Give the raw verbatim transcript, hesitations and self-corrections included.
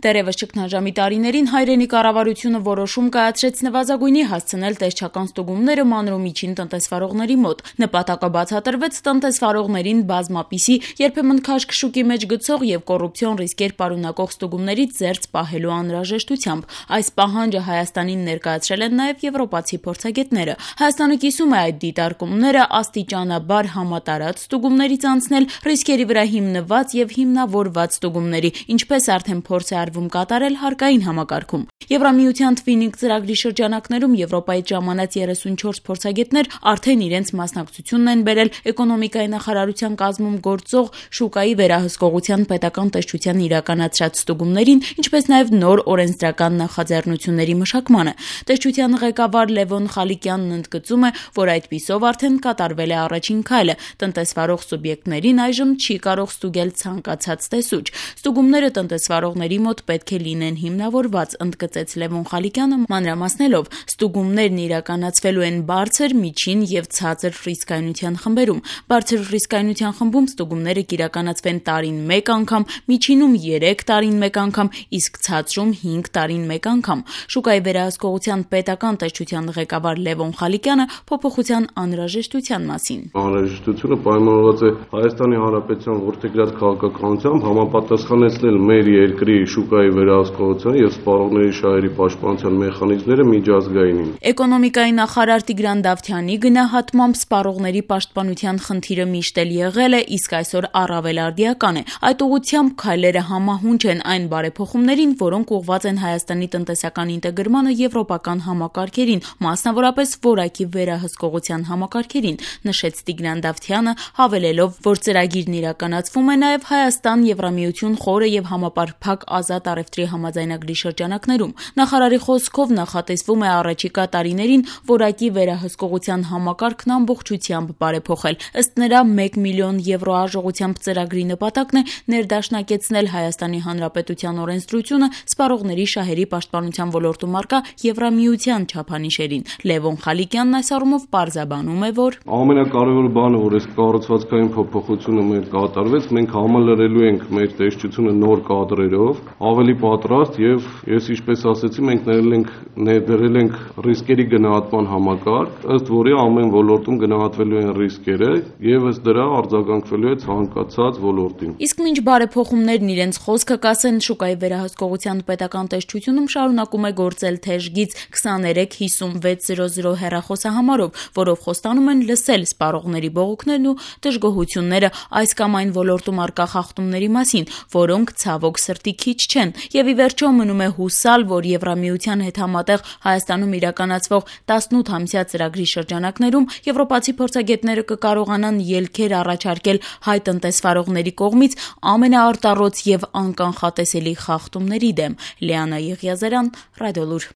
Դեռևս ճգնաժամի տարիներին հայրենի կառավարությունը որոշում կայացրեց նվազագույնի հասցնել տեսչական ստուգումները մանր ու միջին տնտեսվարողների մոտ։ Նպատակը բացատրվեց տնտեսվարողներին բազմապիսի, երբեմն քաշքշուկի մեջ գցող եւ կոռուպցիոն ռիսկեր պարունակող ստուգումներից զերծ պահելու անհրաժեշտությամբ։ Այս պահանջը Հայաստանին ներկայացրել են նաեւ եվրոպացի փորձագետները։ Հայաստանը կիսում է այդ դիտարկումները աստիճանաբար համատարած ստուգումներից անցնել ռիսկերի վրա հիմնված եւ հիմնավորված ստուգումների, ինչպես արդեն փորձ է արվում կատարել հարկային համակարգում։ Եվրամիության Twinning ծրագրի շրջանակներում Եվրոպայից ժամանած երեսունչորս փորձագետներ արդեն իրենց մասնակցությունն են բերել էկոնոմիկայի նախարարության կազմում գործող շուկայի վերահսկողության պետական տեսչության իրականացրած ստուգումներին, ինչպես նաև նոր օրենսդրական նախաձեռնությունների մշակմանը։ Տեսչության ղեկավար Լևոն Խալիկյանն ընդգծում է, որ այդպիսով արդեն կատարվել է առաջին քայլը։ Տնտեսվարող սուբյեկտներին այժմ չի կարող ստուգել ցանկացած տեսուչ։ Ստուգումները տնտեսվարողների մոտ պետք է լինեն հիմնավորված, ընդգծեց Լևոն Խալիկյանը, մանրամասնելով, ստուգումներն իրականացվելու են բարձր, միջին եւ ցածր ռիսկայնության խմբերում։ Բարձր ռիսկայնության խմբում ստուգումները կիրականացվեն տարին մեկ անգամ, միջինում երեք տարին մեկ անգամ, իսկ ցածրում հինգ տարին մեկ անգամ։ Շուկայի վերահսկողության պետական տեսչության ղեկավար Լևոն Խալիկյանը փոփոխության անհրաժեշտության մասին։ Անհրաժեշտությունը պայմանավորված է Հայաստանի Հանրապետության որդեգրած քաղաքականությամբ համապատասխանեցնել մեր երկրի շուկայի վերահսկողության եւ սպառողների շահերի պաշտպանության մեխանիզմները միջազգայինին։ Էկոնոմիկայի նախարար Տիգրան Դավթյանի գնահատմամբ սպառողների պաշտպանության խնդիրը միշտ էլ եղել է, իսկ այսօր առավել արդիական է։ Այդ ուղղությամբ քայլերը համահունչ են այն բարեփոխումներին, որոնք ուղղված են Հայաստանի տնտեսական ինտեգրմանը եվրոպական համակարգերին, մասնավորապես որակի վերահսկողության համակարգերին, նշեց Տիգրան Դավթյանը, հավելելով, որ ծրագիրն իրականացվում է նաեւ Հայաստան-Եվրամիություն խորը եւ համապարփակ ազատ առևտրի համաձայնագրի շրջանակներում։ Նախարարի խոսքով նախատեսվում է առաջիկա տարիներին որակի վերահսկողության համակարգն ամբողջությամբ բարեփոխել։ Ըստ նրա մեկ միլիոն եվրո արժողությամբ ծրագրի նպատակն է ներդաշնակեցնել Հայաստանի Հանրապետության օրենսդրությունը սպառողների շահերի պաշտպանության ոլորտում առկա Եվրամիության չափանիշերին։ Լևոն Խալիկյանն այս առումով պարզաբանում է, որ ամենակարևոր բանը, որ այս կառուցվածքային փոփոխությունը մեր կատարվեց, մենք համալրելու ենք մեր տեսչությունը նոր կադրերով, ավելի պատրաստ եւ ես ինչպես ասացի, մենք ներել ենք ներդրել ենք ռիսկերի գնահատման համակարգ, ըստ որի ամեն ոլորտում գնահատվելու են ռիսկերը եւ ըստ դրա արձագանքվելու է ցանկացած ոլորտին։ Իսկ մինչ բարեփոխումներն իրենց խոսքը կասեն, շուկայի վերահսկողության պետական տեսչությունում շարունակում է գործել թեժգից քսաներեք հիսունվեց զիրո զիրո հեռախոսահամարով, որով խոստանում են լսել սպառողների բողոքներն ու դժգոհությունները այս կամ այն ոլորտում առկա խախտումների մասին, որոնք ցավոք սրտի քիչ չեն, եւ ի վերջո մնում է հուսալ, որ Եվրամիության հետ համատեղ Հայաստանում իրականացվող տասնութամյա ծրագրի շրջանակներում եվրոպացի փորձագետները կկարողանան ելքեր առաջարկել հայ տնտեսվարողների կողմից ամենաարտառոց եւ անկանխատեսելի խախտումների դեմ։ Լիանա Եղիազարյան, Ռադիոլուր։